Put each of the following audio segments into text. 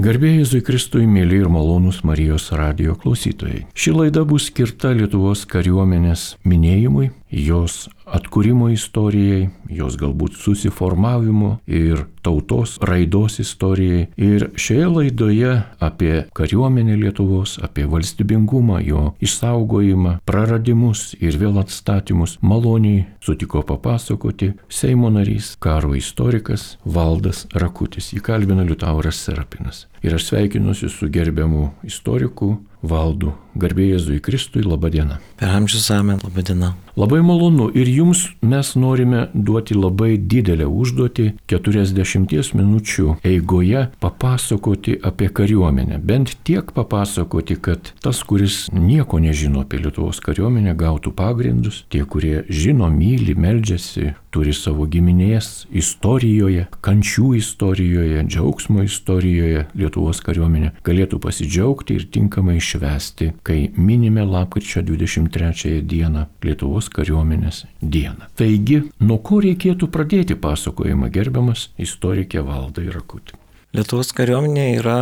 Garbė Jėzui Kristui, mėly ir malonūs Marijos radijo klausytojai. Ši laida bus skirta Lietuvos kariuomenės minėjimui, jos atkūrimo istorijai, jos galbūt susiformavimo ir tautos raidos istorijai. Ir šioje laidoje apie kariuomenę Lietuvos, apie valstybingumą, jo išsaugojimą, praradimus ir vėl atstatymus maloniai sutiko papasakoti Seimo narys, karo istorikas Valdas Rakutis. Jį kalbina Liutauras Serapinas. Ir aš sveikinuosi su gerbiamu istoriku Valdu. Garbė Jėzui Kristui, laba diena. Per amžius amen, laba diena. Labai malonu ir jums mes norime duoti labai didelę užduotį 40 minučių eigoje papasakoti apie kariuomenę. Bent tiek papasakoti, kad tas, kuris nieko nežino apie Lietuvos kariuomenę, gautų pagrindus. Tie, kurie žino, myli, meldžiasi, turi savo giminės istorijoje, kančių istorijoje, džiaugsmo istorijoje Lietuvos kariuomenė, galėtų pasidžiaugti ir tinkamai švęsti, kai minime lapkričio 23 dieną Lietuvos kariuomenės dieną. Taigi, nuo ko reikėtų pradėti pasakojimą, gerbiamas istorikė Valdai Rakuti? Lietuvos kariuomenė yra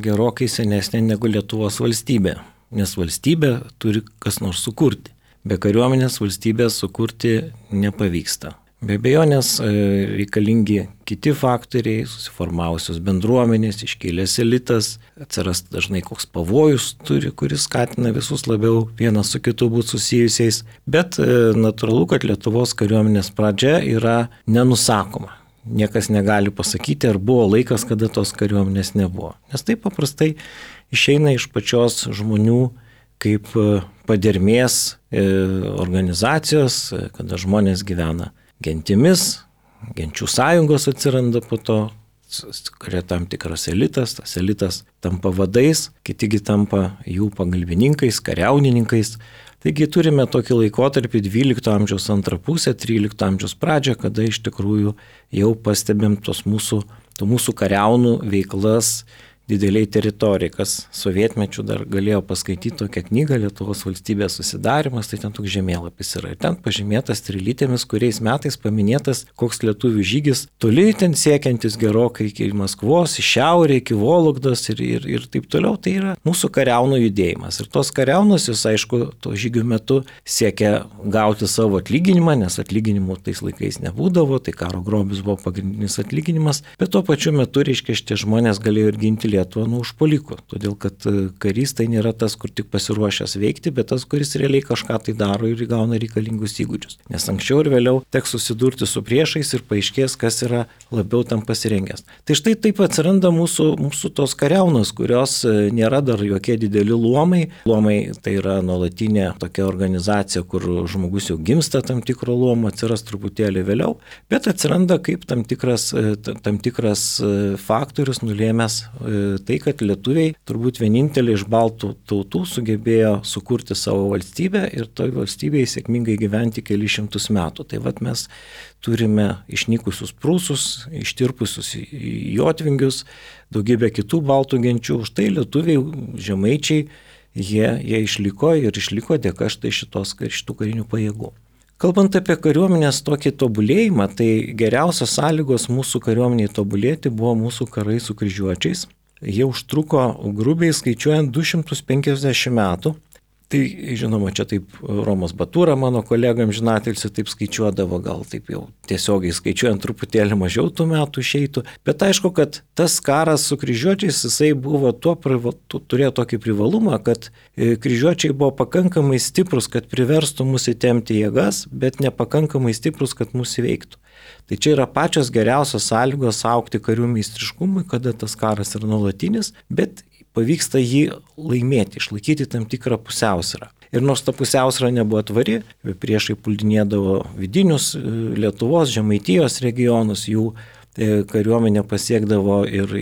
gerokai senesnė negu Lietuvos valstybė, nes valstybė turi kas nors sukurti. Be kariuomenės valstybės sukurti nepavyksta. Be abejonės reikalingi kiti faktoriai, susiformavusios bendruomenės, iškilęs elitas, atsiras dažnai koks pavojus turi, kuris skatina visus labiau vienas su kitu būti susijusiais, bet natūralu, kad Lietuvos kariuomenės pradžia yra nenusakoma. Niekas negali pasakyti, ar buvo laikas, kada tos kariuomenės nebuvo. Nes tai paprastai išeina iš pačios žmonių kaip padermės organizacijos, kada žmonės gyvena gentimis, genčių sąjungos atsiranda po to, kuria tam tikras elitas, tas elitas tampa vadais, kitigi tampa jų pagalbininkais, kariaunininkais. Taigi turime tokį laikotarpį 12 amžiaus antrą pusę, 13 amžiaus pradžią, kada iš tikrųjų jau pastebėm tų mūsų kariaunų veiklas dideliai teritorijai, kas sovietmečių dar galėjo paskaityti tokią knygą Lietuvos valstybės susidarimas, tai ten toks žemėlapis yra. Ir ten pažymėtas trilytėmis, kuriais metais paminėtas koks lietuvių žygis, toli ten siekiantis gerokai iki Maskvos, į šiaurę, iki Vologdos ir taip toliau. Tai yra mūsų kariaunų judėjimas. Ir tos kariaunos, jūs aišku, to žygių metu siekia gauti savo atlyginimą, nes atlyginimų tais laikais nebūdavo, tai karo grobis buvo pagrindinis atlyginimas, bet tuo pačiu metu, reiškia, šitie žmonės galėjo ir ginti Lietuvą nuo užpuolikų, todėl kad karys tai nėra tas, kur tik pasiruošęs veikti, bet tas, kuris realiai kažką tai daro ir įgauna reikalingus įgūdžius. Nes anksčiau ir vėliau teks susidurti su priešais ir paaiškės, kas yra labiau tam pasirengęs. Tai štai taip atsiranda mūsų tos kariaunos, kurios nėra dar jokie dideli luomai. Luomai tai yra nuolatinė tokia organizacija, kur žmogus jau gimsta tam tikro luomo, atsiras truputėlį vėliau, bet atsiranda kaip tam tikras faktorius nulėmęs tai, kad lietuviai turbūt vienintelį iš baltų tautų sugebėjo sukurti savo valstybę ir toj valstybėje sėkmingai gyventi keli šimtus metų. Tai vat mes turime išnykusius prūsus, ištirpusius jotvingius, daugybę kitų baltų genčių. Štai lietuviai, žemaičiai, jie išliko dėka štai šitų karinių pajėgų. Kalbant apie kariuomenės tokį tobulėjimą, tai geriausios sąlygos mūsų kariuomeniai tobulėti buvo mūsų karai su kryžiuočiais. Jie užtruko grubiai skaičiuojant 250 metų. Tai, žinoma, čia taip Romas Batūra, mano kolega amžinatilsį, taip skaičiuodavo, gal taip jau tiesiogiai skaičiuojant truputėlį mažiau tų metų išeitų. Bet aišku, kad tas karas su kryžiuočiais, jisai buvo turėjo tokį privalumą, kad kryžiuočiai buvo pakankamai stiprus, kad priverstų mus įtempti jėgas, bet nepakankamai stiprus, kad mus įveiktų. Tai čia yra pačios geriausios sąlygos augti karių meistriškumui, kada tas karas yra nuolatinis, bet pavyksta jį laimėti, išlaikyti tam tikrą pusiausvyrą. Ir nors ta pusiausvyrą nebuvo tvari, priešai puldinėdavo vidinius Lietuvos, Žemaitijos regionus, jų kariuomenė pasiekdavo ir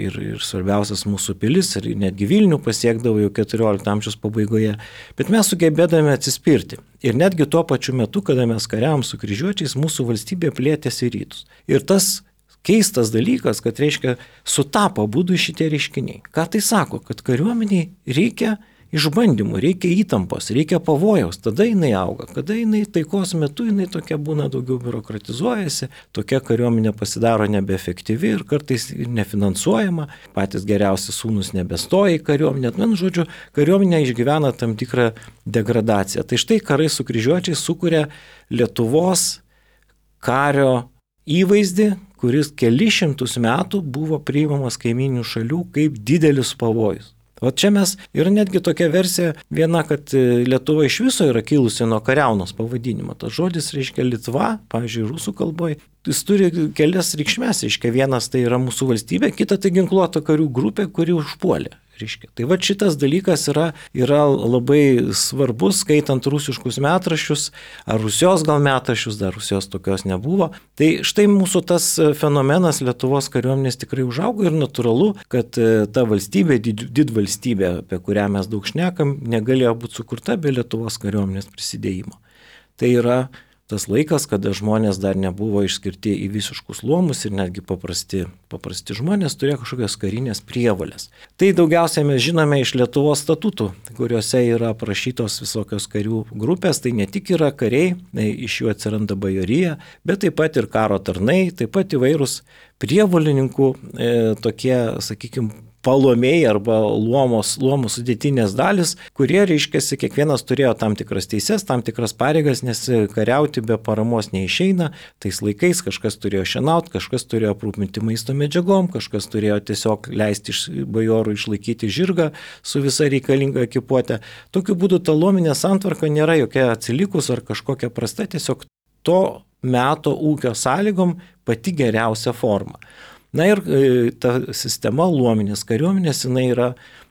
svarbiausias mūsų pilis, ir netgi Vilnių pasiekdavo jau 14 amžiaus pabaigoje. Bet mes sugebėdame atsispirti. Ir netgi tuo pačiu metu, kada mes kariavom su kryžiuočiais, mūsų valstybė plėtėsi į rytus. Ir tas keistas dalykas, kad reiškia sutapo būdų šitie reiškiniai. Ką tai sako? Kad kariuomeniai reikia išbandymų, reikia įtampos, reikia pavojaus, tada jinai auga. Kada jinai taikos metu, jinai tokia būna daugiau biurokratizuojasi, tokia kariuomenė pasidaro nebeefektyvi ir kartais nefinansuojama, patys geriausi sūnus nebestoja į kariuomenę. Žodžiu, kariuomenė išgyvena tam tikrą degradaciją. Tai štai karai su kryžiuočiais sukuria Lietuvos kario įvaizdį, kuris kelišimtus metų buvo priimamas kaiminių šalių kaip didelis pavojus. O čia mes ir netgi tokia versija viena, kad Lietuva iš viso yra kilusi nuo kariaunos pavadinimo. Tas žodis reiškia Litva, pavyzdžiui, rusų kalboje. Jis turi kelias reikšmes, reiškia vienas tai yra mūsų valstybė, kita tai ginkluota karių grupė, kuri užpuolė. Reiškia. Tai va šitas dalykas yra labai svarbus, skaitant rusiškus metraščius, ar Rusijos gal metraščius, dar Rusijos tokios nebuvo. Tai štai mūsų tas fenomenas Lietuvos kariuomenės tikrai užaugo ir natūralu, kad ta valstybė, didvalstybė, apie kurią mes daug šnekam, negalėjo būti sukurta be Lietuvos kariuomenės prisidėjimo. Tai yra tas laikas, kada žmonės dar nebuvo išskirti į visiškus luomus ir netgi paprasti žmonės turėjo kažkokios karinės prievolės. Tai daugiausiai mes žinome iš Lietuvos statutų, kuriuose yra aprašytos visokios karių grupės, tai ne tik yra kariai, iš jų atsiranda bajorija, bet taip pat ir karo tarnai, taip pat įvairūs prievolininkų tokie, sakykime, palomėjai arba luomų sudėtinės dalis, kurie, reiškiasi, kiekvienas turėjo tam tikras teises, tam tikras pareigas, nes kariauti be paramos neišeina. Tais laikais kažkas turėjo šienauti, kažkas turėjo aprūpinti maisto medžiagom, kažkas turėjo tiesiog leisti bajorų išlaikyti žirgą su visa reikalinga ekipuotė. Tokiu būdu ta luominė santvarka nėra jokia atsilikus ar kažkokia prasta, tiesiog to meto ūkio sąlygom pati geriausia forma. Na ir ta sistema luominės kariuomenės, jinai yra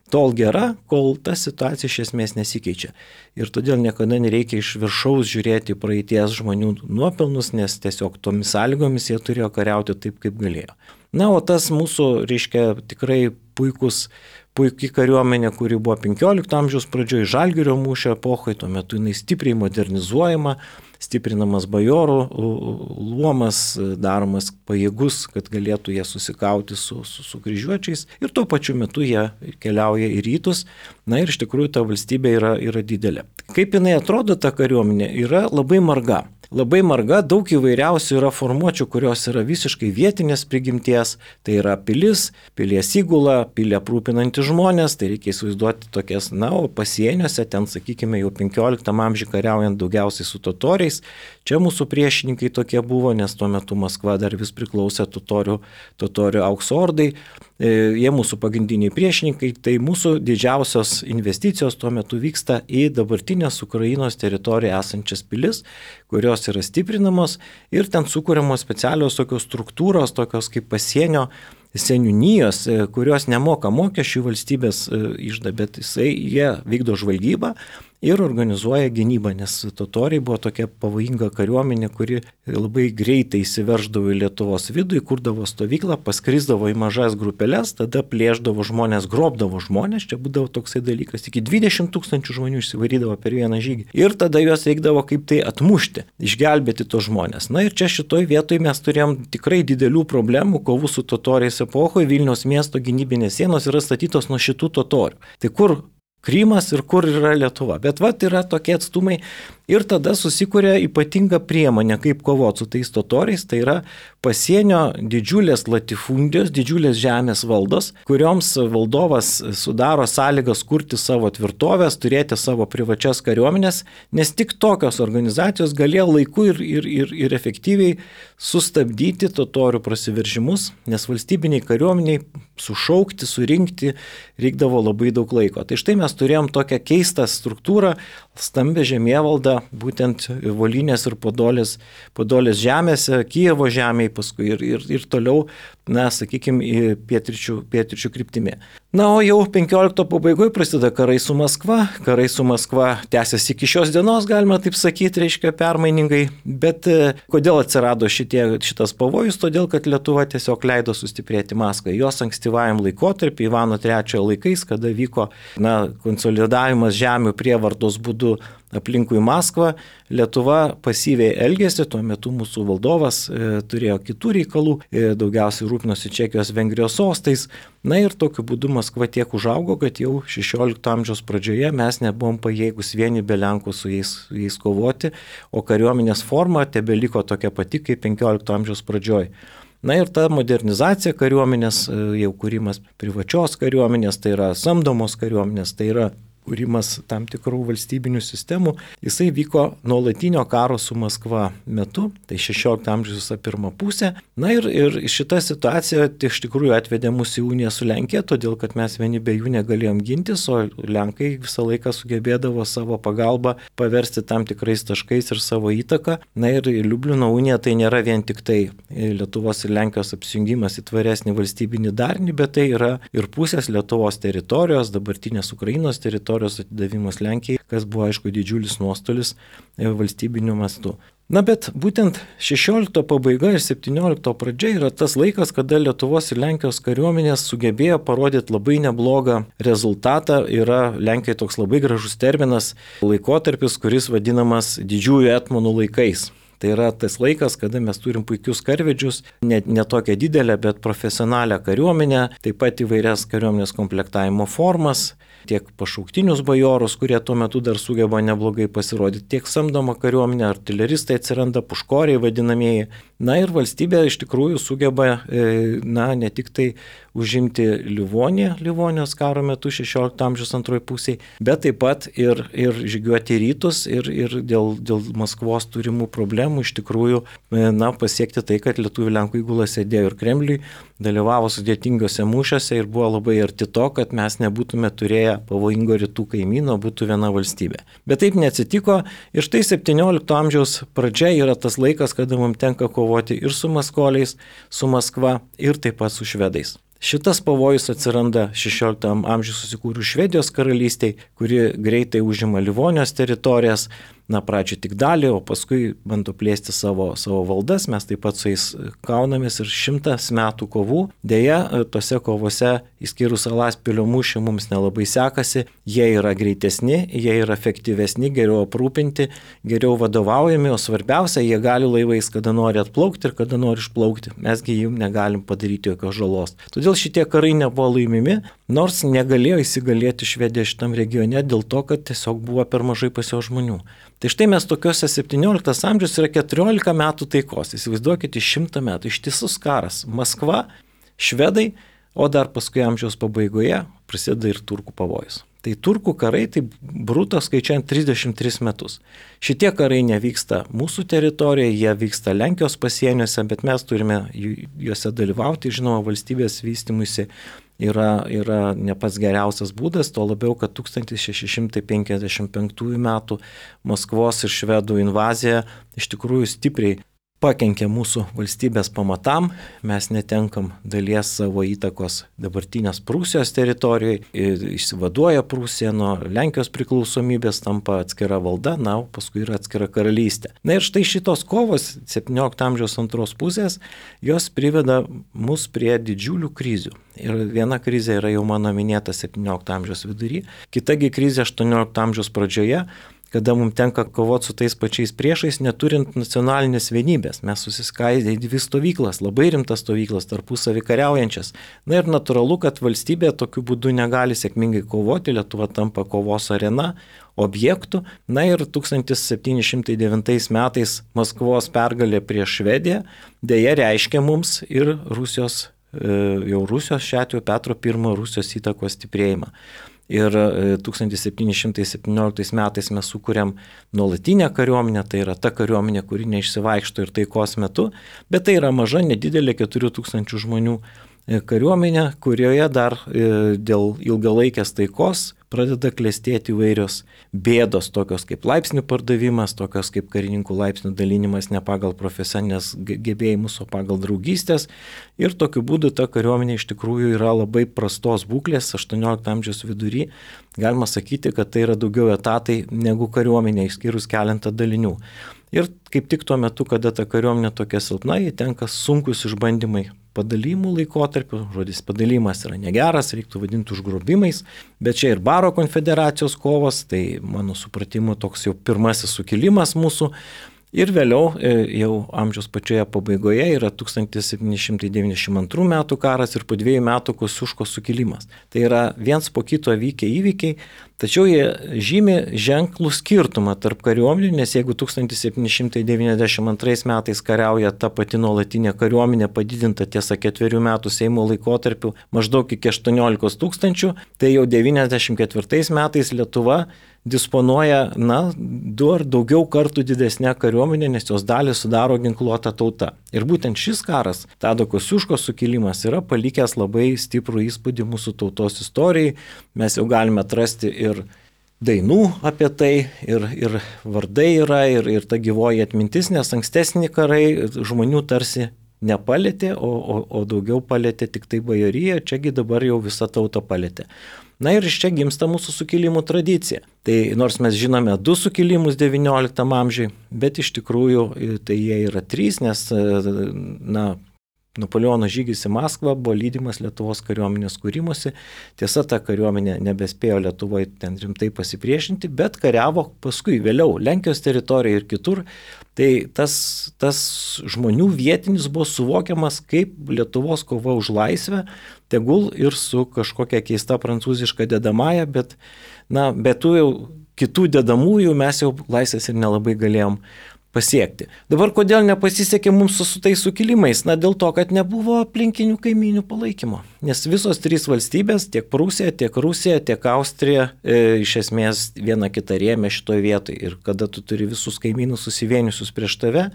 tol gera, kol ta situacija iš esmės nesikeičia. Ir todėl niekada nereikia iš viršaus žiūrėti praeities žmonių nuopelnus, nes tiesiog tomis sąlygomis jie turėjo kariauti taip, kaip galėjo. Na, o tas mūsų, reiškia, tikrai puikiai kariuomenė, kuri buvo 15 amžiaus pradžioje, Žalgirio mūšio epochoje, tuo metu jinai stipriai modernizuojama, stiprinamas bajorų luomas, daromas pajėgus, kad galėtų jie susikauti su kryžiuočiais ir tuo pačiu metu jie keliauja į rytus. Na ir iš tikrųjų ta valstybė yra didelė. Kaip jinai atrodo ta kariuomenė, yra labai marga. Labai marga, daug įvairiausių yra formuočių, kurios yra visiškai vietinės prigimties. Tai yra pilis, pilies įgula, pilį aprūpinantys žmonės, tai reikia įsivaizduoti tokias, o pasieniuose, ten, sakykime, jau 15 amžiuje kariaujant daugiausiai su totoriais. Čia mūsų priešininkai tokie buvo, nes tuo metu Maskva dar vis priklausė totorių aukso ordai. Jie mūsų pagrindiniai priešininkai, tai mūsų didžiausios investicijos tuo metu vyksta į dabartinės Ukrainos teritoriją esančias pilis, kurios yra stiprinamos ir ten sukūriamos specialios tokios struktūros, tokios kaip pasienio seniūnijos, kurios nemoka mokesčių valstybės išda, bet jie vykdo žvalgybą ir organizuoja gynybą, nes totoriai buvo tokia pavojinga kariuomenė, kuri labai greitai įsiverždavo į Lietuvos vidų, įkurdavo stovyklą, paskrisdavo į mažas grupelės, tada plėždavo žmonės, grobdavo žmonės, čia būdavo toksai dalykas, iki 20 000 žmonių išsivarydavo per vieną žygį ir tada juos reikdavo kaip tai atmušti, išgelbėti tos žmonės. Na ir čia šitoj vietoj mes turėjom tikrai didelių problemų, kovų su totoriais epochoje, Vilniaus miesto gynybinės sienos yra statytos nuo šitų totorių. Tai kur Krymas ir kur yra Lietuva. Bet yra tokie atstumai ir tada susikuria ypatinga priemonė, kaip kovoti su tais totoriais, tai yra pasienio didžiulės latifundijos, didžiulės žemės valdos, kurioms valdovas sudaro sąlygas kurti savo tvirtovės, turėti savo privačias kariuomenės, nes tik tokios organizacijos galėjo laiku ir efektyviai sustabdyti totorių prasiveržimus, nes valstybiniai kariuomeniai sušaukti, surinkti reikdavo labai daug laiko. Tai štai mes turėjom tokią keistą struktūrą, stambę žemėvaldą, būtent Volinės ir Podolės žemėse, Kijevo žemėje paskui ir toliau, sakykime, į pietryčių kryptimi. Na, o jau 15 pabaigoje prasideda karai su Maskva. Karai su Maskva tęsiasi iki šios dienos, galima taip sakyti, reiškia permainingai. Bet kodėl atsirado šitas pavojus? Todėl, kad Lietuva tiesiog leido sustiprėti Maskvai. Jos ankstyvajam laikotarpį, Ivano III laikais, kada vyko konsolidavimas žemių prievartos būdu aplinkui Maskvą. Lietuva pasyviai elgėsi, tuo metu mūsų valdovas turėjo kitų reikalų, daugiausiai rūpinosi Čekijos Vengrijos sostais. Na ir tokiu būdu Maskva tiek užaugo, kad jau 16 amžiaus pradžioje mes nebuvom pajėgus vieni be Lenkų su jais kovoti, o kariuomenės forma tebeliko tokia pati kaip 15 amžiaus pradžioje. Na ir ta modernizacija kariuomenės, jau kūrimas privačios kariuomenės, tai yra samdomos kariuomenės, tai yra kūrimas tam tikrų valstybinių sistemų, jisai vyko nuolatinio karo su Maskva metu, tai 16 amžiaus pirmą pusę. Na ir šita situacija iš tikrųjų atvedė mus į uniją su Lenkija, todėl kad mes vieni be jų negalėjom gintis, o Lenkai visą laiką sugebėdavo savo pagalbą paversti tam tikrais taškais ir savo įtaką. Na ir Liublino unija tai nėra vien tik tai Lietuvos ir Lenkijos apsijungimas į tvaresnį valstybinį darinį, bet tai yra ir pusės Lietuvos teritorijos, dabartinės Ukrainos teritorijos atidavimas Lenkijai, kas buvo aišku didžiulis nuostolis valstybiniu mastu. Na bet būtent 16 pabaiga ir 17 pradžia yra tas laikas, kada Lietuvos ir Lenkijos kariuomenės sugebėjo parodyti labai neblogą rezultatą. Yra Lenkijai toks labai gražus terminas, laikotarpis, kuris vadinamas didžiųjų etmonų laikais. Tai yra tas laikas, kada mes turim puikius karvedžius, ne tokią didelę, bet profesionalią kariuomenę, taip pat įvairias kariuomenės komplektavimo formas, tiek pašauktinius bajorus, kurie tuo metu dar sugeba neblogai pasirodyti, tiek samdoma kariuomenė, artileristai atsiranda, puškoriai vadinamieji. Na ir valstybė iš tikrųjų sugeba, ne tik tai užimti Livonijos karo metu 16 amžiaus antroji pusėje, bet taip pat ir žygiuoti rytus ir dėl Maskvos turimų problemų iš tikrųjų pasiekti tai, kad lietuvių Lenkų įgula sėdėjo ir Kremliui, dalyvavo sudėtingose mūšiuose ir buvo labai arti to, kad mes nebūtume turėję pavojingo rytų kaimyno, būtų viena valstybė. Bet taip neatsitiko ir štai 17 amžiaus pradžia yra tas laikas, kada mums tenka kovoti ir su maskoliais, su Maskva ir taip pat su švedais. Šitas pavojus atsiranda 16 amžiuje susikūrus Švedijos karalystei, kuri greitai užima Livonijos teritorijas, pradžio tik dalį, o paskui bando plėsti savo valdas, mes taip pat su jais kaunamės ir 100 metų kovų. Deja, tose kovose, išskyrus Alaspilio mūšį, mums nelabai sekasi, jie yra greitesni, jie yra efektyvesni, geriau aprūpinti, geriau vadovaujami, o svarbiausia, jie gali laivais kada nori atplaukti ir kada nori išplaukti, mesgi jų negalim padaryti jokios žalos. Todėl šitie karai nebuvo laimimi, nors negalėjo įsigalėti Švedija šitam regione dėl to, kad tiesiog buvo per mažai pas jo žmonių. Tai štai mes tokiuose 17 amžius yra 14 metų taikos, įsivaizduokite 100 metų, ištisus karas, Maskva, švedai, o dar paskui amžiaus pabaigoje prasideda ir turkų pavojus. Tai turkų karai, tai bruto skaičiuojant 33 metus. Šitie karai nevyksta mūsų teritorijoje, jie vyksta Lenkijos pasieniuose, bet mes turime juose dalyvauti, žinoma, valstybės vystymuisi yra ne pats geriausias būdas, to labiau, kad 1655 metų Maskvos ir švedų invazija iš tikrųjų stipriai pakenkė mūsų valstybės pamatam, mes netenkam dalies savo įtakos dabartinės Prūsijos teritorijoje, išsivaduoja Prūsija nuo Lenkijos priklausomybės, tampa atskira valda, o paskui yra atskira karalystė. Na ir štai šitos kovos 17 amžiaus antros pusės, jos priveda mus prie didžiulių krizių. Ir viena krizė yra jau mano minėta 17 amžiaus vidury, kitagi krizė 18 amžiaus pradžioje, kada mums tenka kovoti su tais pačiais priešais, neturint nacionalinės vienybės. Mes susiskaidė į dvi stovyklas, labai rimtas stovyklas, tarpusavį kariaujančias. Na ir natūralu, kad valstybė tokiu būdu negali sėkmingai kovoti, Lietuva tampa kovos arena, objektų. Na ir 1709 metais Maskvos pergalė prieš Švediją dėja reiškia mums ir Rusijos šiuo atveju Petro I Rusijos įtakos stiprėjimą. Ir 1717 metais mes sukūrėm nuolatinę kariuomenę, tai yra ta kariuomenė, kuri neišsivaikšto ir taikos metu, bet tai yra maža, nedidelė 4000 žmonių kariuomenė, kurioje dar dėl ilgalaikės taikos pradeda klestėti įvairios bėdos, tokios kaip laipsnių pardavimas, tokios kaip karininkų laipsnių dalinimas ne pagal profesinės gebėjimus, o pagal draugystės. Ir tokiu būdu ta kariuomenė iš tikrųjų yra labai prastos būklės, 18 amžiaus vidury. Galima sakyti, kad tai yra daugiau etatai negu kariuomenė, išskyrus keletą dalinių. Ir kaip tik tuo metu, kada ta kariuomenė tokia silpna, jai tenka sunkus išbandymai padalymų laikotarpiu. Žodis padalymas yra negeras, reiktų vadinti užgrobimais, bet čia ir Baro konfederacijos kovos, tai mano supratimu toks jau pirmasis sukilimas mūsų. Ir vėliau, jau amžiaus pačioje pabaigoje, yra 1792 metų karas ir po 2 metų Kosciuškos sukilimas. Tai yra viens po kito vykę įvykiai, tačiau jie žymi ženklų skirtumą tarp kariuomenių, nes jeigu 1792 metais kariauja ta pati nuolatinė kariuomenė padidinta tiesa 4 metų Seimo laikotarpiu maždaug iki 18 000, tai jau 94 metais Lietuva disponuoja, 2 ar daugiau kartų didesnė kariuomenė, nes jos dalį sudaro ginkluota tauta. Ir būtent šis karas, Tado Kosciuškos sukilimas, yra palikęs labai stiprų įspūdį mūsų tautos istorijai. Mes jau galime atrasti ir dainų apie tai, ir vardai yra, ir ta gyvoji atmintis, nes ankstesni karai žmonių tarsi nepalėtė, o daugiau palėtė tik tai bajorija, čiagi dabar jau visą tautą palėtė. Na ir iš čia gimsta mūsų sukilimų tradicija. Tai nors mes žinome 2 sukilimus XIX amžiui, bet iš tikrųjų tai jie yra 3, nes Napoleono žygis į Maskvą buvo lydimas Lietuvos kariuomenės kūrimosi. Tiesa, ta kariuomenė nebespėjo Lietuvoje ten rimtai pasipriešinti, bet kariavo paskui vėliau Lenkijos teritorijoje ir kitur. Tai tas žmonių vietinis buvo suvokiamas kaip Lietuvos kova už laisvę, tegul ir su kažkokia keista prancūziška dedamąja, bet be tų jau kitų dedamųjų mes jau laisvės ir nelabai galėjom pasiekti. Dabar kodėl nepasisekė mums su tais sukilimais? Dėl to, kad nebuvo aplinkinių kaimynių palaikymo. Nes visos 3 valstybės, tiek Prūsija, tiek Rusija, tiek Austrija, iš esmės viena kitą rėmė šitoje vietoje. Ir kada tu turi visus kaimynus susivieniusius prieš tave,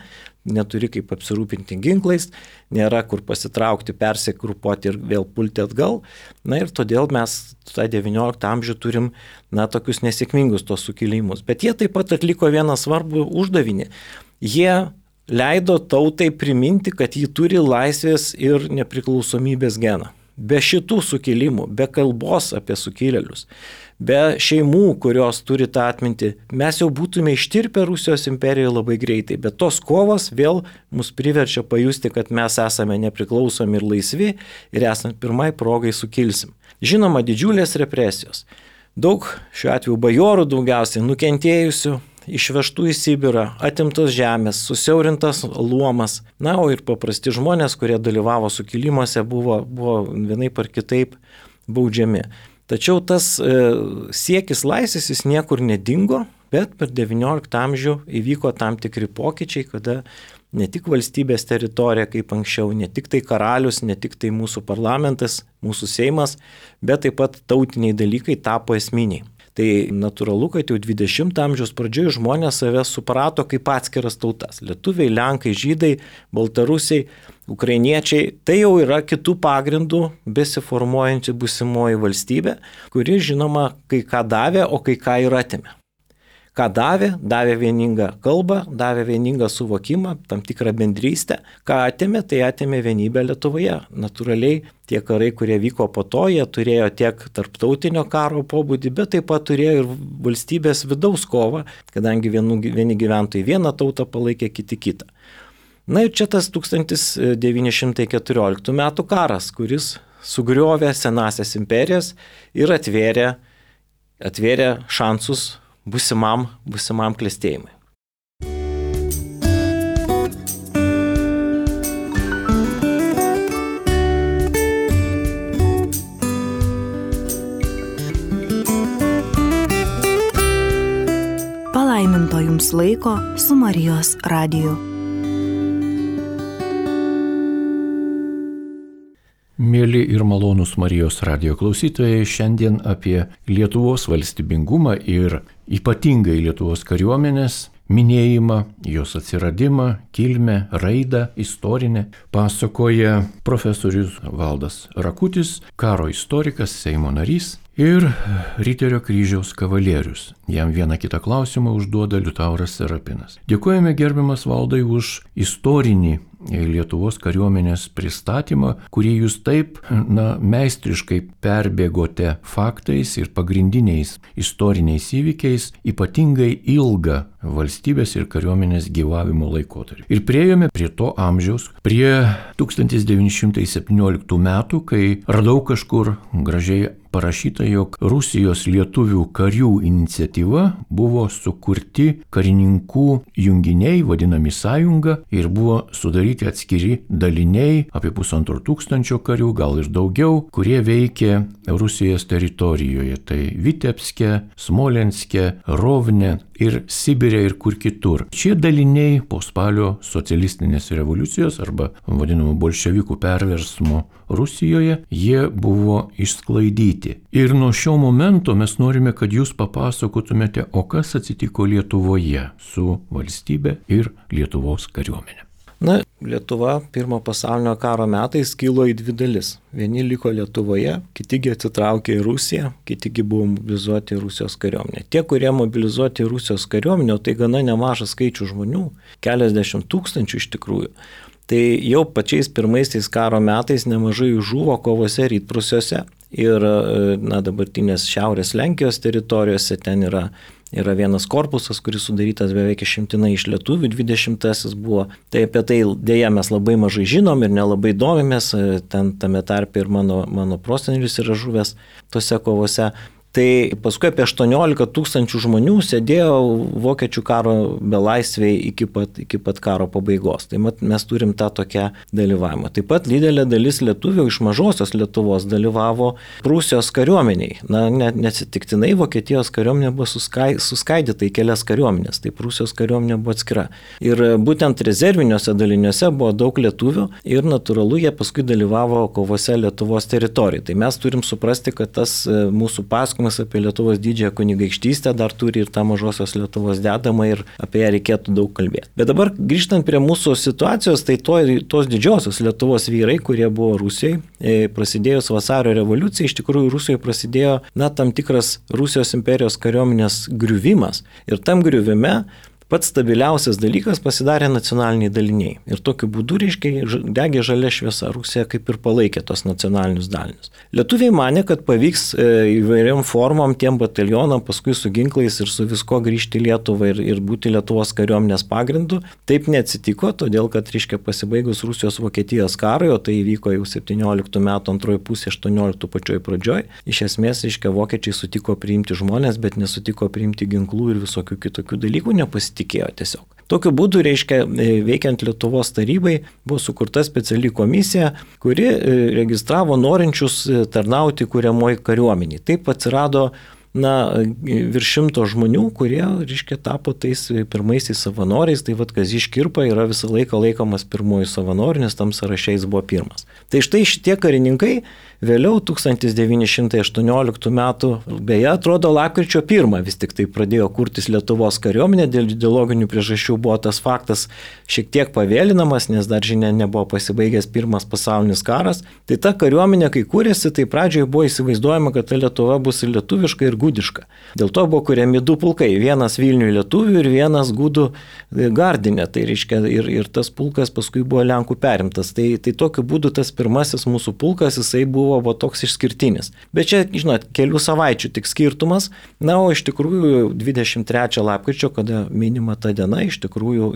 neturi kaip apsirūpinti ginklais, nėra kur pasitraukti, persigrupuoti ir vėl pulti atgal. Ir todėl mes tą 19 amžių turim tokius nesėkmingus tos sukilimus. Bet jie taip pat atliko vieną svarbų uždavinį. Jie leido tautai priminti, kad ji turi laisvės ir nepriklausomybės geną. Be šitų sukilimų, be kalbos apie sukilėlius, be šeimų, kurios turi tą atmintį, mes jau būtume ištirpę Rusijos imperijoje labai greitai. Bet tos kovos vėl mus priverčia pajusti, kad mes esame nepriklausomi ir laisvi ir esant pirmai progai sukilsim. Žinoma, didžiulės represijos. Daug šiuo atveju bajorų daugiausiai nukentėjusių, išvežtų į Sibirą, atimtos žemės, susiaurintas luomas. O ir paprasti žmonės, kurie dalyvavo sukilimuose, buvo vienaip ar kitaip baudžiami. Tačiau tas siekis laisvės jis niekur nedingo, bet per XIX amžių įvyko tam tikri pokyčiai, kada ne tik valstybės teritorija kaip anksčiau, ne tik tai karalius, ne tik tai mūsų parlamentas, mūsų Seimas, bet taip pat tautiniai dalykai tapo esminiai. Tai natūralu, kad jau 20 amžiaus pradžioje žmonės save suprato kaip atskiras tautas. Lietuviai, lenkai, žydai, baltarusiai, ukrainiečiai. Tai jau yra kitų pagrindų besiformuojanti būsimoji valstybė, kuri žinoma kai ką davė, o kai ką ir atėmė. Ką davė? Davė vieningą kalbą, davė vieningą suvokimą, tam tikrą bendrystę. Ką atėmė? Tai atėmė vienybę Lietuvoje. Natūraliai tie karai, kurie vyko po to, jie turėjo tiek tarptautinio karo pobūdį, bet taip pat turėjo ir valstybės vidaus kovą, kadangi vieni gyventojai vieną tautą palaikė, kiti kitą. Ir čia tas 1914 metų karas, kuris sugriovė senasias imperijas ir atvėrė šansus būsimam klestėjimui. Palaiminto jums laiko su Marijos radiju. Mėly ir malonūs Marijos radijo klausytojai, šiandien apie Lietuvos valstybingumą ir ypatingai Lietuvos kariuomenės minėjimą, jos atsiradimą, kilmę, raidą, istorinę pasakoja profesorius Valdas Rakutis, karo istorikas, Seimo narys ir Riterio kryžiaus kavalierius. Jam vieną kitą klausimą užduoda Liutauras Serapinas. Dėkojame gerbiamas Valdai už istorinį Lietuvos kariuomenės pristatymą, kurį jūs taip meistriškai perbėgote faktais ir pagrindiniais istoriniais įvykiais, ypatingai ilgą valstybės ir kariuomenės gyvavimo laikotarpį. Ir priėjome prie to amžiaus, prie 1917 metų, kai radau kažkur gražiai parašyta, jog Rusijos lietuvių karių iniciatyva buvo sukurti karininkų junginiai, vadinami sąjunga, ir buvo sudaryti atskiri daliniai, apie 1500 karių, gal ir daugiau, kurie veikė Rusijos teritorijoje. Tai Vitebske, Smolenske, Rovne ir Sibire ir kur kitur. Šie daliniai po spalio socialistinės revoliucijos arba vadinamų bolševikų perversmo Rusijoje, jie buvo išsklaidyti. Ir nuo šio momento mes norime, kad jūs papasakotumėte, o kas atsitiko Lietuvoje su valstybe ir Lietuvos kariuomenė. Na, Lietuva pirmo pasaulinio karo metais skilo į dvi dalis. Vieni liko Lietuvoje, kitigi atsitraukė į Rusiją, kitigi buvo mobilizuoti į Rusijos kariuomenę. Tie, kurie mobilizuoti į Rusijos kariuomenę, tai gana nemažas skaičius žmonių, keliasdešimt tūkstančių iš tikrųjų. Tai jau pačiais pirmaisiais karo metais nemažai žuvo kovose rytprūsiuose ir dabartinės šiaurės Lenkijos teritorijose. Ten yra vienas korpusas, kuris sudarytas beveik išimtinai iš lietuvių, 20-asis buvo. Tai apie tai dėja mes labai mažai žinom ir nelabai domimės, ten tame tarpe ir mano prosenelis yra žuvęs tose kovose. Tai paskui apie 18 tūkstančių žmonių sėdėjo vokiečių karo belaisviai iki pat karo pabaigos. Tai mes turim tą tokią dalyvavimą. Taip pat didelė dalis lietuvių iš mažosios Lietuvos dalyvavo Prūsijos kariuomeniai. Neatsitiktinai Vokietijos kariuomenė buvo suskaidyta į kelias kariuomenės, tai Prūsijos kariuomenė buvo atskira. Ir būtent rezerviniuose daliniuose buvo daug lietuvių ir natūralu jie paskui dalyvavo kovose Lietuvos teritorijai. Tai mes turim suprasti, kad tas mūsų pasakojimas apie Lietuvos didžiąją kunigaikštystę dar turi ir tą mažosios Lietuvos dedamą ir apie ją reikėtų daug kalbėti. Bet dabar grįžtant prie mūsų situacijos, tai tos didžiosios Lietuvos vyrai, kurie buvo Rusijoje, prasidėjus vasario revoliucijai, iš tikrųjų Rusijoje prasidėjo tam tikras Rusijos imperijos kariuomenės griuvimas. Ir tam griuvime pats stabiliausias dalykas pasidarė nacionaliniai daliniai. Ir tokiu būdu, degė žalia šviesa. Rusija kaip ir palaikė tos nacionalinius dalinius. Lietuviai manė, kad pavyks įvairiom formom tiem batalionam paskui su ginklais ir su visko grįžti į Lietuvą ir būti Lietuvos kariuomenės pagrindu. Taip neatsitiko, todėl kad pasibaigus Rusijos-Vokietijos karui, o tai įvyko jau 17 metų antroji pusė, 18 pačioj pradžioj, iš esmės vokiečiai sutiko priimti žmonės, bet nesutiko priimti ginklų ir visokių kitokių dalykų, tikėjo tiesiog. Tokiu būdu, veikiant Lietuvos tarybai, buvo sukurta speciali komisija, kuri registravo norinčius tarnauti kuriamoj kariuomeniai. Taip atsirado virš 100 žmonių, kurie, tapo tais pirmaisiais savanoriais. Tai Kazys Škirpa yra visą laiką laikomas pirmuoju savanoriu, nes tam sąraše jis buvo pirmas. Tai štai šitie karininkai vėliau 1918 metų, beje, atrodo lapkričio 1 vis tik tai pradėjo kurtis Lietuvos kariuomenė, dėl ideologinių priežasčių buvo tas faktas šiek tiek pavėlinamas, nes dar žinia nebuvo pasibaigęs pirmas pasaulinis karas. Tai ta kariuomenė, kai kūrėsi, tai pradžioje buvo įsivaizduojama, kad ta Lietuva bus ir lietuviška, ir gudiška. Dėl to buvo kuriami du pulkai, vienas Vilniui lietuvių ir vienas gudų Gardine. Tai reiškia, ir tas pulkas paskui buvo Lenkų perimtas. Tai tokiu būdu tas pirmasis mūsų pulkas, jisai buvo toks išskirtinis. Bet čia, kelių savaičių tik skirtumas. O iš tikrųjų 23 lapkričio, kada minima ta diena, iš tikrųjų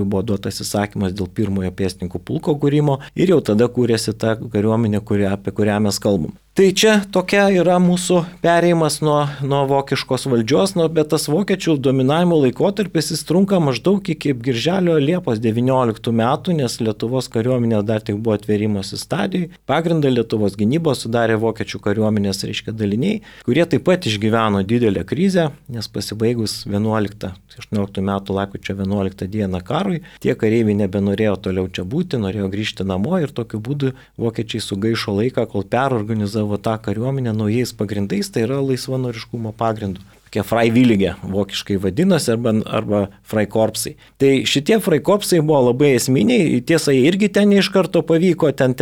buvo duotas įsakymas dėl pirmojo pėstininkų pulko kūrimo ir jau tada kūrėsi ta kariuomenė, apie kurią mes kalbam. Tai čia tokia yra mūsų perėjimas nuo vokiškos valdžios, bet tas vokiečių dominavimo laikotarpis jis trunka maždaug iki birželio Liepos 19 metų, nes Lietuvos kariuomenė dar tik buvo atvėrimosi stadijai. Pagrindą Lietuvos gynybos sudarė vokiečių kariuomenės daliniai, kurie taip pat išgyveno didelę krizę, nes pasibaigus 18 metų lapkričio 11 dieną karui, tie kareiviai nebenorėjo toliau čia būti, norėjo grįžti namo ir tokiu būdu vokiečiai sugaišo laiką, kol perorganizavo tą kariuomenę naujais pagrindais, tai yra laisvanoriškumo pagrindų. Tokie Freiwillige vokiškai vadinasi arba Freikorpsai. Tai šitie Freikorpsai buvo labai esminiai, tiesa, irgi ten iš karto pavyko, ten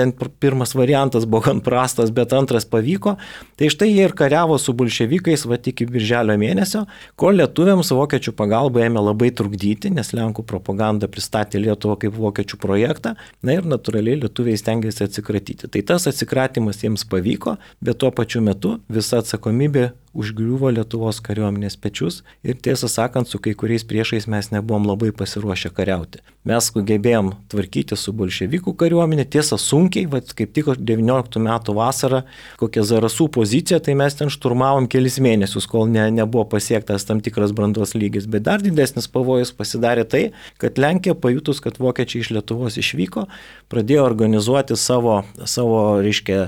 pirmas variantas buvo gan prastas, bet antras pavyko. Tai štai jie ir kariavo su bolševikais iki birželio mėnesio, kol lietuviams vokiečių pagalba ėmė labai trukdyti, nes Lenkų propaganda pristatė Lietuvą kaip vokiečių projektą, ir natūraliai lietuviai stengiasi atsikratyti. Tai tas atsikratimas jiems pavyko, bet tuo pačiu metu visa atsakomybė užgriuvo Lietuvos kariuomenės pečius ir tiesą sakant, su kai kuriais priešais mes nebuvom labai pasiruošę kariauti. Mes sugebėjom tvarkyti su bolševikų kariuomenė, tiesa sunkiai, kaip tik 19 metų vasarą, kokia Zarasų pozicija, tai mes ten šturmavom kelis mėnesius, kol nebuvo pasiektas tam tikras brandos lygis. Bet dar didesnis pavojus pasidarė tai, kad Lenkija pajutus, kad vokiečiai iš Lietuvos išvyko, pradėjo organizuoti savo reiškia,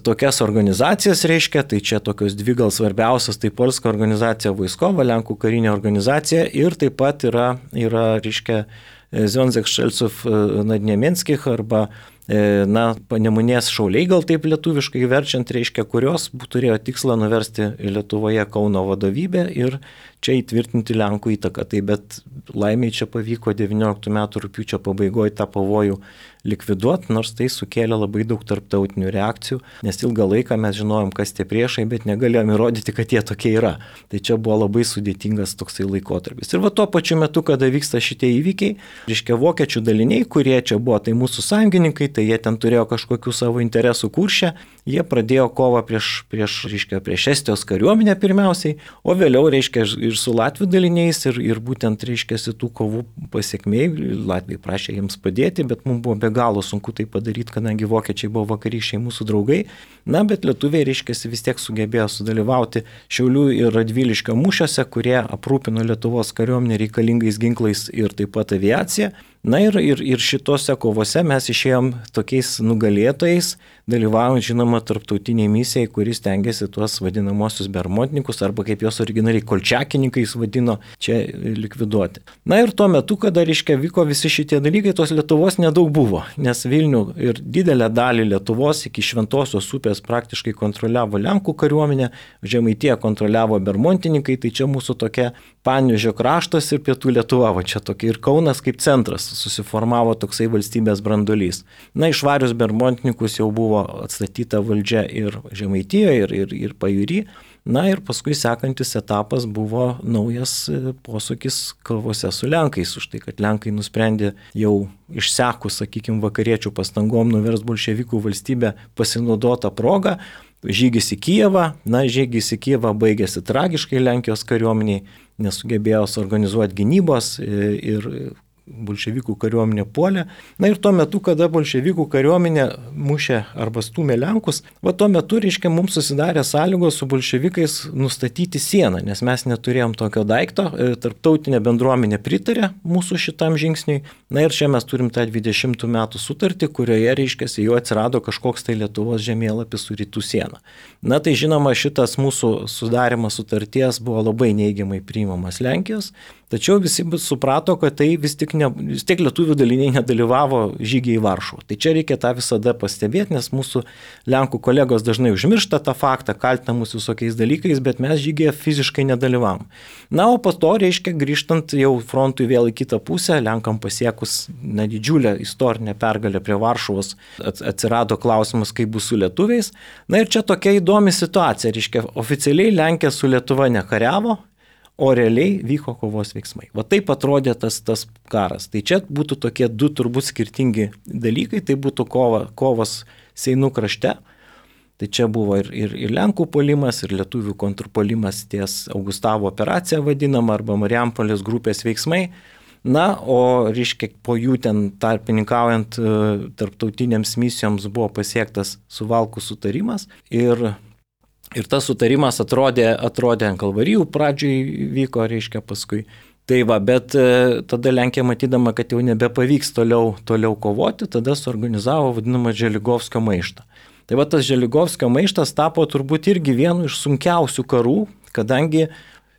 tokias organizacijas, reiškia, tai čia tokios dvi gal svarbiausios, tai Polska organizacija Vojskova, Lenkų karinė organizacija ir taip pat yra reiškia, Związek Strzelców Naddniemenskich arba Panemunės šauliai, gal taip lietuviškai verčiant, reiškia, kurios turėjo tikslą nuversti Lietuvoje Kauno vadovybę ir čia įtvirtinti Lenkų įtaką. Tai bet laimiai čia pavyko 19 metų rugpjūčio pabaigoje tą pavojų likviduoti, nors tai sukėlė labai daug tarptautinių reakcijų, nes ilgą laiką mes žinojom, kas tie priešai, bet negalėjom įrodyti, kad jie tokie yra. Tai čia buvo labai sudėtingas toksai laikotarpis. Ir tuo pačiu metu, kada vyksta šitie įvykiai, reiškia, vokiečių daliniai, kurie čia buvo, tai mūsų sąjungininkai, tai jie ten turėjo kažkokių savo interesų Kurše, jie pradėjo kovą prieš Estijos kariuomenę pirmiausiai, o vėliau, reiškia, ir su Latvių daliniais, ir būtent, reiškia, tų kovų pasiekmei, Latviai prašė jiems padėti, bet mums buvo be galo sunku tai padaryti, kadangi vokiečiai buvo vakarykščiai mūsų draugai, bet lietuviai, reiškia, vis tiek sugebėjo sudalyvauti Šiaulių ir Radviliškio mūšiuose, kurie aprūpino Lietuvos kariuomenę reikalingais ginklais ir taip pat aviacija. Ir šitose kovose mes išėjom tokiais nugalėtojais, dalyvaujant, žinoma, tarptautiniai misijai, kuris tengiasi tuos vadinamosius bermontininkus, arba kaip jos originaliai kolčiakininkais vadino, čia likviduoti. Ir tuo metu, kada, reiškia, vyko visi šitie dalykai, tos Lietuvos nedaug buvo, nes Vilnių ir didelę dalį Lietuvos iki Šventosios upės praktiškai kontroliavo Lenkų kariuomenė, Žemaitiją kontroliavo bermontininkai, tai čia mūsų tokia Panevėžio kraštas ir Pietų Lietuva, čia tokia ir Kaunas kaip centras susiformavo toksai valstybės branduolys. Išvarius bermontininkus jau buvo atstatyta valdžia ir Žemaitijoje, ir Pajūry. Ir paskui sekantis etapas buvo naujas posūkis kovose su Lenkais, už tai, kad Lenkai nusprendė jau išsekus, sakykime, vakariečių pastangom nuverst bolševikų valstybę pasinaudotą progą. Žygis į Kijevą, žygis į Kijevą baigėsi tragiškai Lenkijos kariuomeniai, nesugebėjo suorganizuoti gynybos ir bolševikų kariuomenė puolė. Ir tuo metu, kada bolševikų kariuomenė mušė arba stūmė Lenkus, tuo metu, reiškia, mums susidarė sąlygos su bolševikais nustatyti sieną, nes mes neturėjom tokio daikto, tarptautinė bendruomenė pritarė mūsų šitam žingsniui. Ir čia mes turim tą 20 metų sutartį, kurioje, reiškia, jau atsirado kažkoks tai Lietuvos žemėlapis su rytų siena. Tai žinoma, šitas mūsų sudarimas sutarties buvo labai neigiamai priimamas Lenkijos, tačiau visi suprato, kad tai vis tiek lietuvių daliniai nedalyvavo žygiai į Varšuvą. Tai čia reikia tą visada pastebėti, nes mūsų Lenkų kolegos dažnai užmiršta tą faktą, kaltina mus visokiais dalykais, bet mes žygiai fiziškai nedalyvavom. O po to, reiškia, grįžtant jau frontui vėl į kitą pusę, Lenkam pasiekus didžiulę istorinę pergalę prie Varšuvos, atsirado klausimas, kaip bus su lietuviais. Ir čia tokia įdomi situacija, reiškia, oficialiai Lenkija su Lietuva nekariavo, o realiai vyko kovos veiksmai. Taip atrodė tas karas. Tai čia būtų tokie du turbūt skirtingi dalykai, tai būtų kovos Seinų krašte. Tai čia buvo ir Lenkų puolimas, ir lietuvių kontrpuolimas ties Augustavo operacija vadinama, arba Marijampolės grupės veiksmai. O, reiškia, po jų ten tarpininkaujant tarptautinėms misijoms buvo pasiektas Suvalkų sutarimas ir tas sutarimas atrodė ant Kalvarijų pradžiai vyko, reiškia, paskui. Bet tada Lenkija matydama, kad jau nebepavyks toliau kovoti, tada suorganizavo vadinamą Želigovskio maištą. Tas Želigovskio maištas tapo turbūt irgi vienu iš sunkiausių karų, kadangi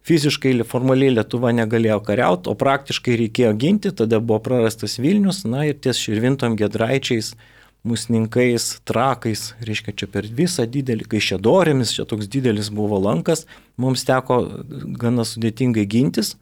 fiziškai formaliai Lietuva negalėjo kariauti, o praktiškai reikėjo ginti, tada buvo prarastas Vilnius, ir ties Širvintom, Giedraičiais, Musninkais, Trakais, reiškia, čia per visą didelį, Kaišiadorėmis, čia toks didelis buvo lankas, mums teko gana sudėtingai gintis.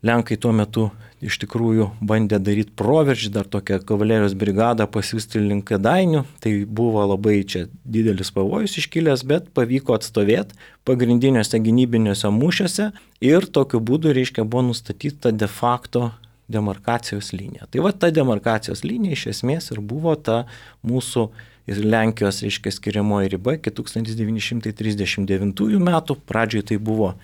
Lenkai tuo metu iš tikrųjų bandė daryti proveržį, dar tokią kavalerijos brigadą pasiųsti link Kėdainių, tai buvo labai čia didelis pavojus iškilęs, bet pavyko atstovėti pagrindiniuose gynybiniuose mūšiuose ir tokiu būdu, reiškia, buvo nustatyta de facto demarkacijos linija. Ta demarkacijos linija iš esmės ir buvo ta mūsų ir Lenkijos, reiškia, skiriamoji riba iki 1939 metų. Pradžioje tai buvo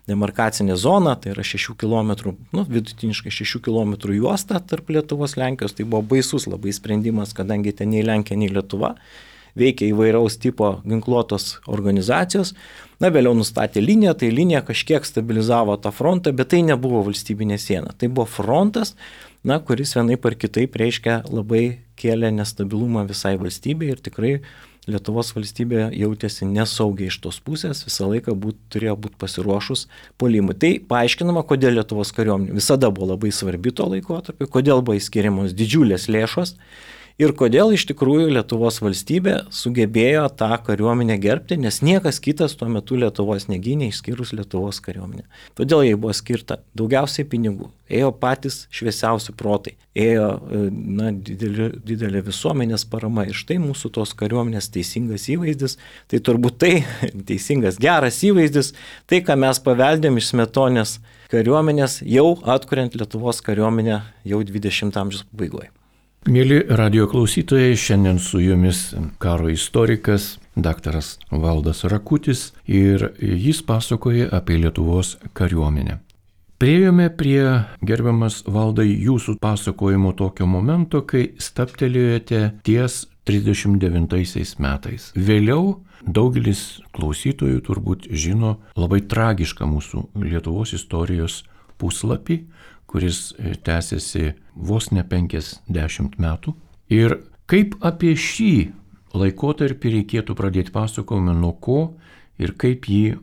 demarkacinė zona, tai yra 6 km, vidutiniškai 6 km juosta tarp Lietuvos ir Lenkijos. Tai buvo baisus labai sprendimas, kadangi ten nei Lenkija, nei Lietuva veikia įvairaus tipo ginkluotos organizacijos. Vėliau nustatė liniją, tai linija kažkiek stabilizavo tą frontą, bet tai nebuvo valstybinė siena. Tai buvo frontas, kuris vienaip ar kitaip reiškia labai kėlė nestabilumą visai valstybei ir tikrai Lietuvos valstybė jautėsi nesaugiai iš tos pusės, visą laiką turėjo būti pasiruošus puolimui. Tai paaiškinama, kodėl Lietuvos kariuomenė visada buvo labai svarbi tuo laikotarpiu, kodėl buvo įskiriamos didžiulės lėšos ir kodėl iš tikrųjų Lietuvos valstybė sugebėjo tą kariuomenę gerbti, nes niekas kitas tuo metu Lietuvos negynė išskyrus Lietuvos kariuomenę. Todėl jai buvo skirta daugiausiai pinigų, ėjo patys šviesiausi protai, ėjo didelė visuomenės parama ir štai mūsų tos kariuomenės teisingas įvaizdis, tai turbūt tai teisingas geras įvaizdis, tai ką mes paveldėm iš Smetonės kariuomenės jau atkuriant Lietuvos kariuomenę jau 20 amžiaus pabaigoje. Mėly radijo klausytojai, šiandien su jumis karo istorikas daktaras Valdas Rakutis ir jis pasakoja apie Lietuvos kariuomenę. Priėjome prie, gerbiamas Valdai, jūsų pasakojimo tokio momento, kai stabtelėjote ties 39 metais. Vėliau daugelis klausytojų turbūt žino labai tragišką mūsų Lietuvos istorijos puslapį, kuris tęsiasi vos ne 50 metų. Ir kaip apie šį laikotarpį reikėtų pradėti pasakojimą, nuo ko ir kaip jį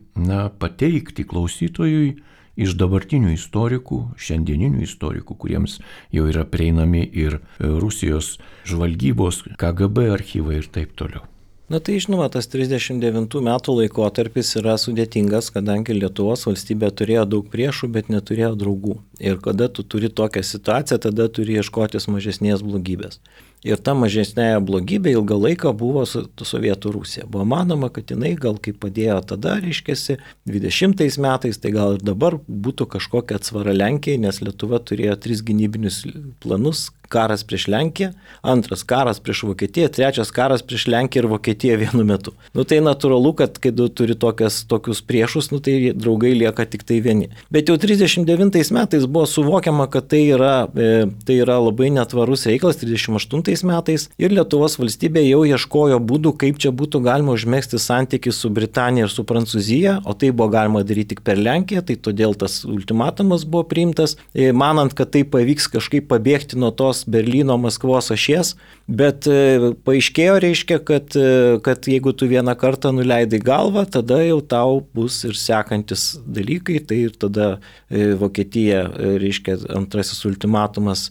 pateikti klausytojui iš dabartinių istorikų, šiandieninių istorikų, kuriems jau yra prieinami ir Rusijos žvalgybos, KGB archyvai ir taip toliau. Tai žinoma, tas 39 metų laikotarpis yra sudėtingas, kadangi Lietuvos valstybė turėjo daug priešų, bet neturėjo draugų. Ir kada tu turi tokią situaciją, tada turi ieškotis mažesnės blogybės. Ir ta mažesnėje blogybė ilgą laiką buvo Sovietų Rusija. Buvo manoma, kad jinai gal kaip padėjo tada, reiškiasi, 20 metais, tai gal ir dabar būtų kažkokia atsvara Lenkijai, nes Lietuva turėjo 3 gynybinius planus. Karas prieš Lenkiją, antras karas prieš Vokietiją, trečias karas prieš Lenkiją ir Vokietiją vienu metu. Tai natūralu, kad kai tu turi tokius priešus, tai draugai lieka tik tai vieni. Bet jau 39 metais buvo suvokiama, kad tai yra labai netvarus reikalas, 38 metais, ir Lietuvos valstybė jau ieškojo būdų, kaip čia būtų galima užmegzti santykius su Britanija ir su Prancūzija, o tai buvo galima daryti tik per Lenkiją, tai todėl tas ultimatumas buvo priimtas, manant, kad tai pavyks kažkaip pabėgti nuo tos Berlyno, Maskvos ašies, bet paaiškėjo, reiškia, kad jeigu tu vieną kartą nuleidai galvą, tada jau tau bus ir sekantis dalykai, tai ir tada Vokietija, reiškia, antrasis ultimatumas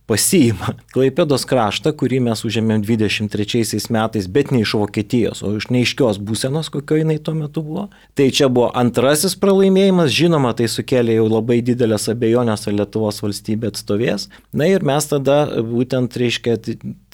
pasiima Klaipėdos kraštą, kurį mes užėmėm 23 metais, bet ne iš Vokietijos, o iš neaiškios būsenos, kokio jinai tuo metu buvo. Tai čia buvo antrasis pralaimėjimas, žinoma, tai sukėlė jau labai didelės abejonės, ar Lietuvos valstybė atstovės. Ir mes tada būtent, reiškia,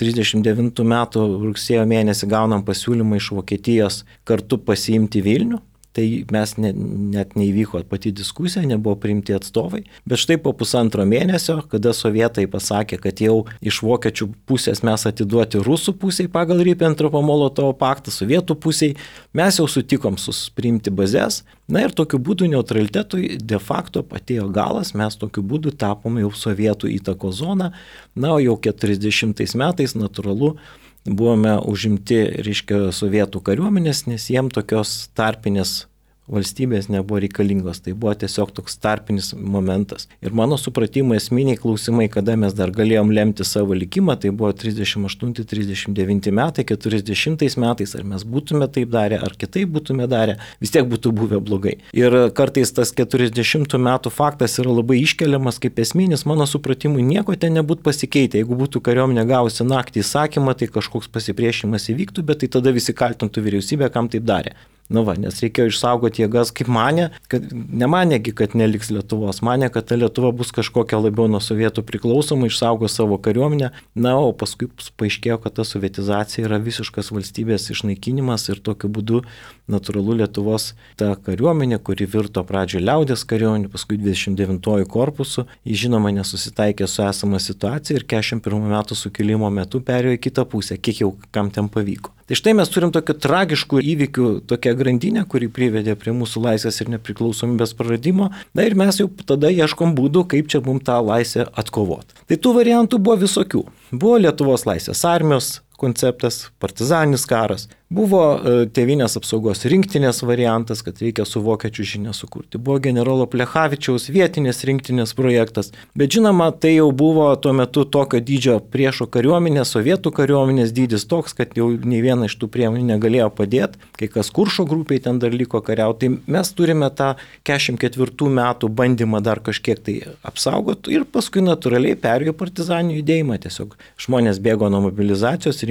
39 metų rugsėjo mėnesį gaunam pasiūlymą iš Vokietijos kartu pasiimti Vilnių. Tai mes net neįvyko pati diskusija, nebuvo priimti atstovai, bet štai po pusantro mėnesio, kada sovietai pasakė, kad jau iš vokiečių pusės mes atiduoti rusų pusiai pagal Ribbentropo-Molotovo paktą, sovietų pusiai, mes jau sutikom priimti bazės, ir tokiu būdu neutralitetui de facto atėjo galas, mes tokiu būdu tapome jau sovietų įtako zoną, o jau 40 metais natūralu, buvome užimti, reiškia, sovietų kariuomenės, nes jiem tokios tarpinės valstybės nebuvo reikalingos. Tai buvo tiesiog toks tarpinis momentas. Ir mano supratimo esminiai klausimai, kada mes dar galėjom lemti savo likimą, tai buvo 38-39 metai, 40 metais, ar mes būtume taip darę, ar kitaip būtume darę, vis tiek būtų buvę blogai. Ir kartais tas 40 metų faktas yra labai iškeliamas kaip esminis, mano supratimui nieko ten nebūtų pasikeitę. Jeigu būtų kariuomenė gavusi naktį įsakymą, tai kažkoks pasipriešimas įvyktų, bet tai tada visi kaltintų vyriausybę, kam taip darė. Nes reikėjo išsaugoti jėgas, kaip nemanėgi, kad neliks Lietuvos, manė, kad ta Lietuva bus kažkokia labiau nuo sovietų priklausoma, išsaugo savo kariuomenę, o paskui paaiškėjo, kad ta sovietizacija yra visiškas valstybės išnaikinimas ir tokiu būdu natūralu Lietuvos ta kariuomenė, kuri virto pradžioje liaudės kariuomenė, paskui 29 korpusu, jis žinoma nesusitaikė su esama situacija ir 41 metų sukilimo metu perėjo į kitą pusę, kiek jau kam ten pavyko. Tai štai mes turim tokių tragiškų įvykių, tokią grandinę, kuri privedė prie mūsų laisvės ir nepriklausomybės praradimo. Ir mes jau tada ieškom būdų, kaip čia mums tą laisvę atkovoti. Tai tų variantų buvo visokių. Buvo Lietuvos laisvės armijos konceptas, partizaninis karas, buvo tėvynės apsaugos rinktinės variantas, kad reikia su vokiečių žinia sukurti, buvo generolo Plechavičiaus vietinės rinktinės projektas, bet žinoma, tai jau buvo tuo metu tokio dydžio priešo kariuomenė, sovietų kariuomenės dydis toks, kad jau nei viena iš tų priemonių negalėjo padėti, kai kas Kuršo grupiai ten dar liko kariauti, tai mes turime tą 44 metų bandymą dar kažkiek tai apsaugoti ir paskui natūraliai perėjo partizaninį judėjimą, tiesiog žmonės bėgo nuo mobilizacijos,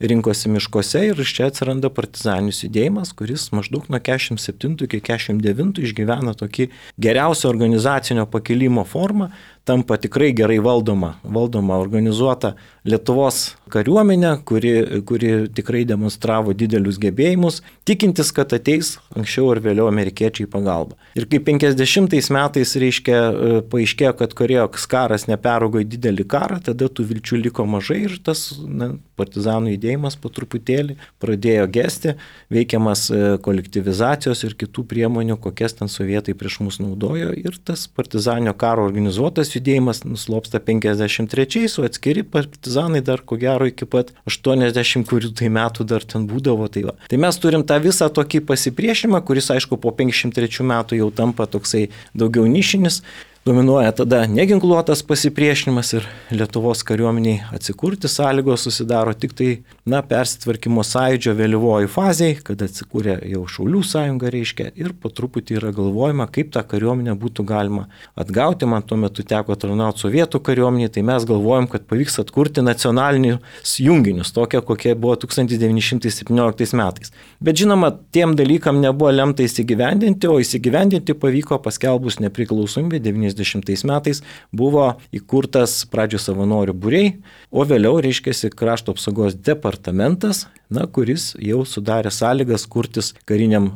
rinkosi miškuose ir iš čia atsiranda partizaninis judėjimas, kuris maždaug nuo 47 iki 49 išgyvena tokį geriausią organizacinio pakilimo formą, tampa tikrai gerai valdoma, organizuota Lietuvos kariuomenė, kuri tikrai demonstravo didelius gebėjimus, tikintis, kad ateis anksčiau ar vėliau amerikiečiai pagalba. Ir kai 50 metais paaiškėjo, kad Korėjos karas neperaugo į didelį karą, tada tų vilčių liko mažai ir tas partizanų judėjimas po truputėlį pradėjo gesti, veikiamas kolektyvizacijos ir kitų priemonių, kokias ten sovietai prieš mus naudojo ir tas partizaninio karo organizuotas judėjimas nuslopsta 53, o atskiri partizanai dar ko gero iki pat 80 metų dar ten būdavo. Tai mes turim tą visą tokį pasipriešimą, kuris aišku po 53 metų jau tampa toksai daugiau nišinis. Dominuoja tada neginkluotas pasipriešinimas ir Lietuvos kariuomeniai atsikurti sąlygos susidaro tik tai, persitvarkymo sąjūdžio vėlyvoji fazėje, kada atsikūrė jau Šaulių sąjunga ir po truputį yra galvojama, kaip tą kariuomenę būtų galima atgauti. Man tuo metu teko tarnauti sovietų kariuomeniai, tai mes galvojam, kad pavyks atkurti nacionalinius junginius, tokie kokie buvo 1917 metais. Bet žinoma, tiem dalykam nebuvo lemta įsigyvendinti, o įsigyvendinti pavyko paskelbus nepriklausomybę 90 metais buvo įkurtas pradžio savanorių būriai, o vėliau krašto apsaugos departamentas, kuris jau sudarė sąlygas kurtis kariniam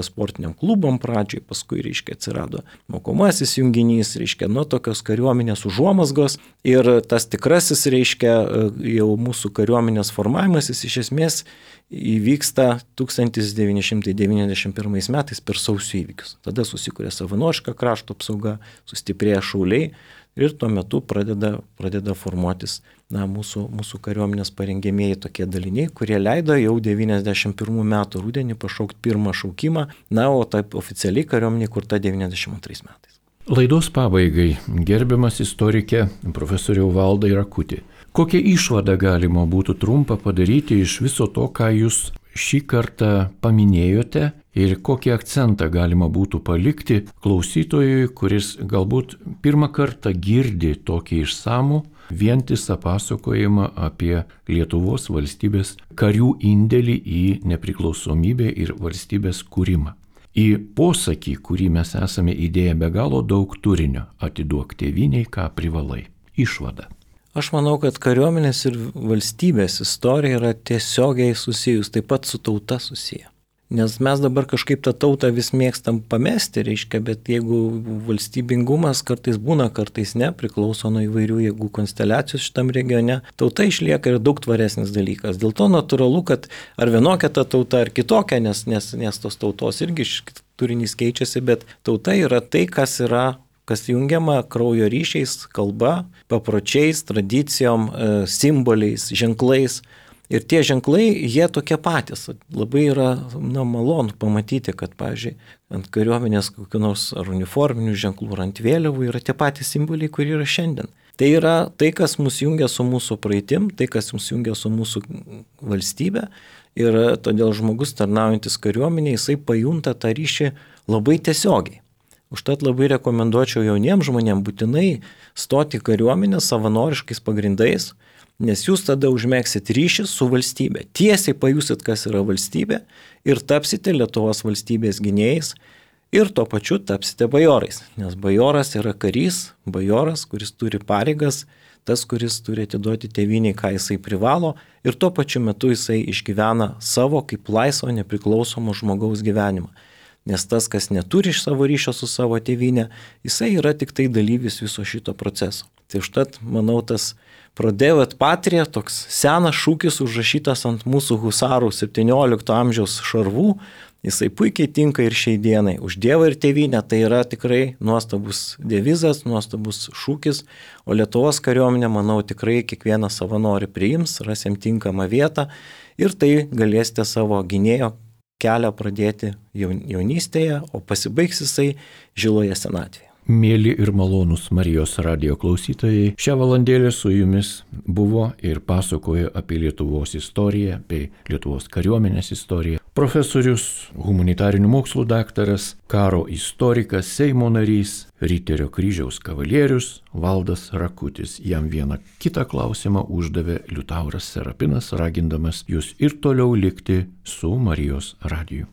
sportiniam klubom pradžiai, paskui atsirado mokomasis junginys, tokios kariuomenės užuomazgos ir tas tikrasis jau mūsų kariuomenės formavimasis iš esmės įvyksta 1991 metais per sausio įvykius. Tada susikūrė savanoriška krašto apsauga, sustiprėja šauliai ir tuo metu pradeda formuotis mūsų kariuomenės parengėmėjai tokie daliniai, kurie leido jau 91 metų rudenį pašaukti pirmą šaukimą, o taip oficialiai kariuomenė kurta 92 metais. Laidos pabaigai, gerbiamas istorikė profesoriau Valdai Rakuti. Kokią išvadą galima būtų trumpą padaryti iš viso to, ką jūs šį kartą paminėjote ir kokį akcentą galima būtų palikti klausytojui, kuris galbūt pirmą kartą girdi tokį išsamų, vientisą pasakojimą apie Lietuvos valstybės karių indėlį į nepriklausomybę ir valstybės kūrimą. Į posakį, kurį mes esame įdėję be galo daug turinio, atiduok tėvynei, ką privalai. Išvada. Aš manau, kad kariuomenės ir valstybės istorija yra tiesiogiai susijus, taip pat su tauta susiję. Nes mes dabar kažkaip tą tautą vis mėgstam pamesti, bet jeigu valstybingumas kartais būna, kartais ne, priklauso nuo įvairių jėgų konsteliacijų šitam regione, tauta išlieka ir daug tvaresnis dalykas. Dėl to natūralu, kad ar vienokia ta tauta, ar kitokia, nes tos tautos irgi turinys keičiasi, bet tauta yra tai, kas jungiama kraujo ryšiais, kalba, papročiais, tradicijom, simboliais, ženklais. Ir tie ženklai, jie tokie patys. Labai yra malonu pamatyti, kad, pavyzdžiui, ant kariuomenės kokių nors ar uniforminių ženklų, ar ant vėliavų yra tie patys simboliai, kurie yra šiandien. Tai yra tai, kas mus jungia su mūsų praeitim, tai, kas mus jungia su mūsų valstybe. Ir todėl žmogus tarnaujantis kariuomenėje, jisai pajunta tą ryšį labai tiesiogiai. Užtat labai rekomenduočiau jauniems žmonėms būtinai stoti į kariuomenę savanoriškais pagrindais, nes jūs tada užmėgsit ryšį su valstybė. Tiesiai pajusit, kas yra valstybė ir tapsite Lietuvos valstybės gynėjais ir tuo pačiu tapsite bajorais, nes bajoras yra karys, bajoras, kuris turi pareigas, tas, kuris turi atiduoti tėvyniai, ką jisai privalo ir tuo pačiu metu jisai išgyvena savo kaip laisvo nepriklausomo žmogaus gyvenimą. Nes tas, kas neturi iš savo ryšio su savo tėvynė, jisai yra tik tai dalyvis viso šito proceso. Tai užtat, manau, tas Prodeo et Patria, toks senas šūkis užrašytas ant mūsų husarų 17 amžiaus šarvų, jisai puikiai tinka ir šiai dienai. Už Dievą ir tėvynę tai yra tikrai nuostabus devizas, nuostabus šūkis, o Lietuvos kariuomenė, manau, tikrai kiekvieną savanorių priims, rasim tinkamą vietą ir tai galėsite savo gynėjo kelią pradėti jaunystėje, o pasibaigs jisai žiloje senatvėje. Mėly ir malonūs Marijos radijo klausytojai, šią valandėlę su jumis buvo ir pasakojo apie Lietuvos istoriją, bei Lietuvos kariuomenės istoriją profesorius, humanitarinių mokslų daktaras, karo istorikas, Seimo narys, Riterio kryžiaus kavalierius Valdas Rakutis. Jam vieną kitą klausimą uždavė Liutauras Serapinas, ragindamas jūs ir toliau likti su Marijos radiju.